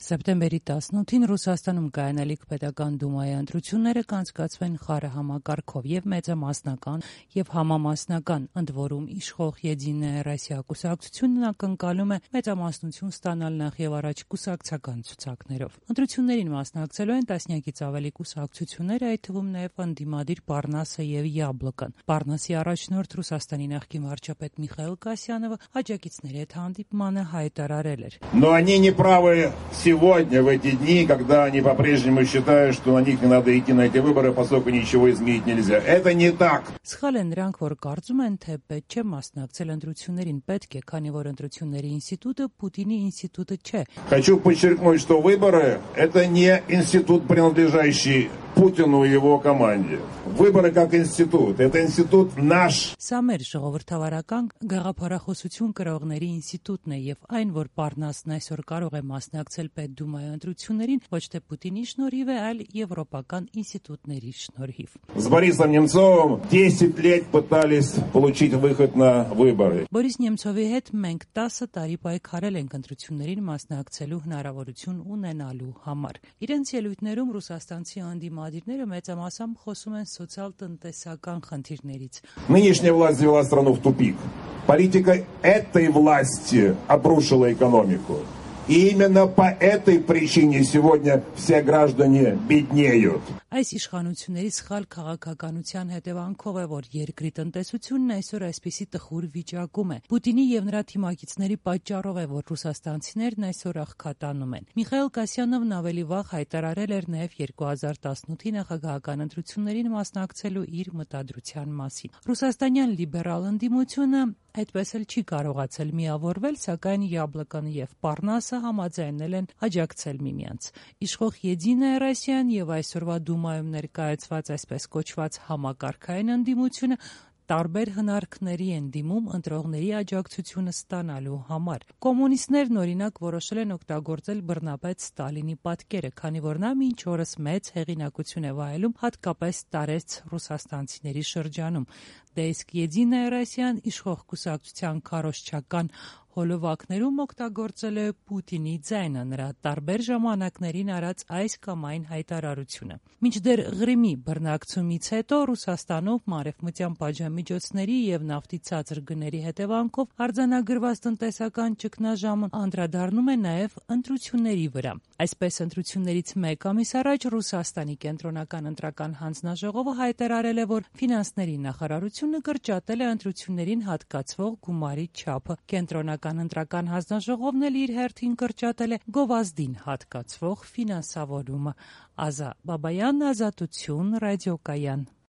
Սեպտեմբերի 18-ին Ռուսաստանում կայանալիք պետական դումայի ընտրությունները կանցկացվեն խառը համակարգով եւ մեծամասնական եւ համամասնական, ընդ որում իշխող Եդինայա Ռոսիա կուսակցությունն ակնկալում է մեծամասնություն ստանալ նախ եւ առաջ կուսակցական ցուցակներով։ Ընտրություններին մասնակցելու են տասնյակից ավելի կուսակցություններ, այդ թվում նաեւ ընդդիմադիր Պարնասը եւ Յաբլոկան։ Պարնասի առաջնորդ Ռուսաստանի նախկին վարչապետ Միխայիլ Կասյանովը աջակիցների հետ հանդիպմանը հայտարարել էր. Но они не правы сегодня, в эти дни, когда они по-прежнему считают, что на них не надо идти на эти выборы, поскольку ничего изменить нельзя. Это не так. Սխալ են նրանք, որ կարծում են, թե պետք չէ մասնակցել ընտրություններին, պետք է, քանի որ ընտրությունների ինստիտուտը Պուտինի ինստիտուտը չէ։ Хочу подчеркнуть, что выборы – это не институт, принадлежащий Путину и его команде. Выборы как институт. Это институт наш. Սա մեր ժողովրդավարական գաղափարախոսություն կրողների ինստիտուտն է եւ այն, որ Պարնասն այսօր կարող է մասնակցել Պետդումայի ընտրություններին, ոչ թե Պուտինի շնորհիվ է, այլ եվրոպական ինստիտուտների շնորհիվ։ С Борисом Немцовым 10 лет пытались получить выход на выборы. Բորիս Նեմցովի հետ մենք 10 տարի պայքարել ենք ընտրություններին մասնակցելու հնարավորություն ունենալու համար։ Իրենց ելույթներում ռուսաստանցի անդիմադիրները մեծամասամբ խոսում են սոցիալ-տնտեսական խնդիրներից։ Нынешняя власть завела страну в тупик. Политика этой власти обрушила экономику. И именно по этой причине сегодня все граждане беднеют. Այս իշխանությունների սխալ քաղաքականության հետևանքով է, որ երկրի տնտեսությունն այսօր այսպիսի տխուր վիճակում է։ Պուտինի եւ նրա թիմակիցների պատճառով է, որ ռուսաստանցիներն այսօր աղքատանում են։ Միխայիլ Կասյանովն ավելի վաղ հայտարարել էր նաեւ 2018-ի նախագահական ընտրություններին մասնակցելու իր մտադրության մասին։ Ռուսաստանյան լիբերալ ընդդիմությունը այդպես էլ չի կարողացել միավորվել, սակայն Յաբլոկան եւ Պարնասը համաձայնել են աջակցել միմյանց։ Իշխող Եդինայա Ռոսիան եւ այսօրվա դումայում ներկայացված այսպես կոչված համակարգային ընդդիմությունը տարբեր հնարքների են դիմում ընտրողների աջակցությունը ստանալու համար։ Կոմունիստներն օրինակ որոշել են օգտագործել բռնապետ Ստալինի պատկերը, քանի որ նա մինչ օրս մեծ հեղինակություն է վայելում հատկապես տարեց ռուսաստանցիների շրջանում։ Դե իսկ Եդինայա Ռոսիան իշխող կուսակցության քարոզչական հոլովակներում օգտագործել է Պուտինի ձայնը, նրա տարբեր ժամանակներին արած այս կամ այն հայտարարությունը։ Մինչդեռ Ղրիմի բռնակցումից հետո Ռուսաստանում մարևմտյան պատժամիջոցների եւ նավթի ցածր գների հետևանքով արձանագրված տնտեսական ճգնաժամը անդրադառնում է նաեւ ընտրությունների վրա։ Այսպես ընտրություններից մեկ ամիս առաջ Ռուսաստանի կենտրոնական ընտրական հանձնաժողովը հայտարարել է, որ ֆինանսների նախարարությունը կրճատել է ընտրություններին հատկացվող գումարի չափը։ Կենտրոնական ընտրական հանձնաժողովն էլ իր հերթին կրճատել է գովազդին հատկացվող ֆինանսավորումը։ Ազա Բաբայան, Ազատություն, ռադիոկայան։